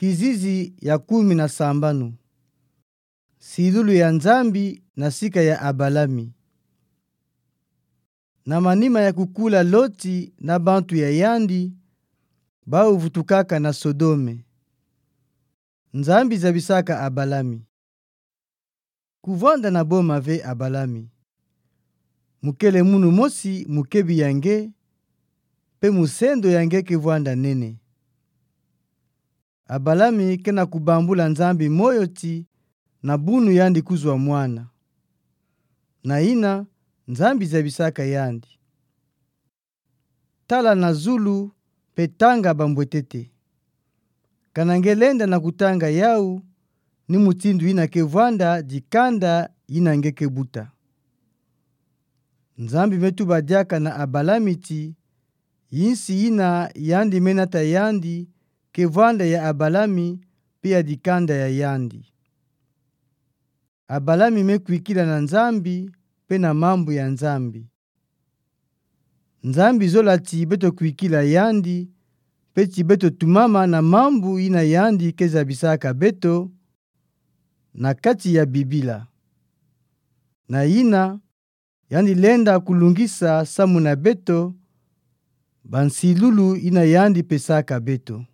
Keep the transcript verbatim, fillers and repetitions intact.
Kizizi ya kumi na sambanu. Nsilulu ya Nzambi na sika ya Abalami. Na manima ya kukula Loti na bantu ya yandi, bau vutukaka na Sodome. Nzambi zabisaka Abalami: Kuvwanda na boma ve, Abalami. Mukele munu mosi mukebi ya nge, mpe musendo ya nge kevwanda nene. Abalami kena kubambula Nzambi moyo ti na bunu yandi kuzwa mwana. Na ina, Nzambi zabisaka yandi: Tala na zulu, mpe tanga bambwetete. Kana nge lenda na kutanga yau, ni mutindu yina kevwanda dikanda yina nge kebuta. Nzambi me tuba diaka na Abalami ti, yinsi yina yandi me nata yandi kevwanda ya Abalami, mpe ya dikanda ya yandi. Abalami me kwikila na Nzambi, mpe na mambu ya Nzambi. Nzambi zola ti beto kwikila yandi, mpe ti beto tumama na mambu yina yandi kezabisaka beto na kati ya Bibila. Na ina, yandi lenda kulungisa samu na beto bansilulu yina yandi pesaka beto.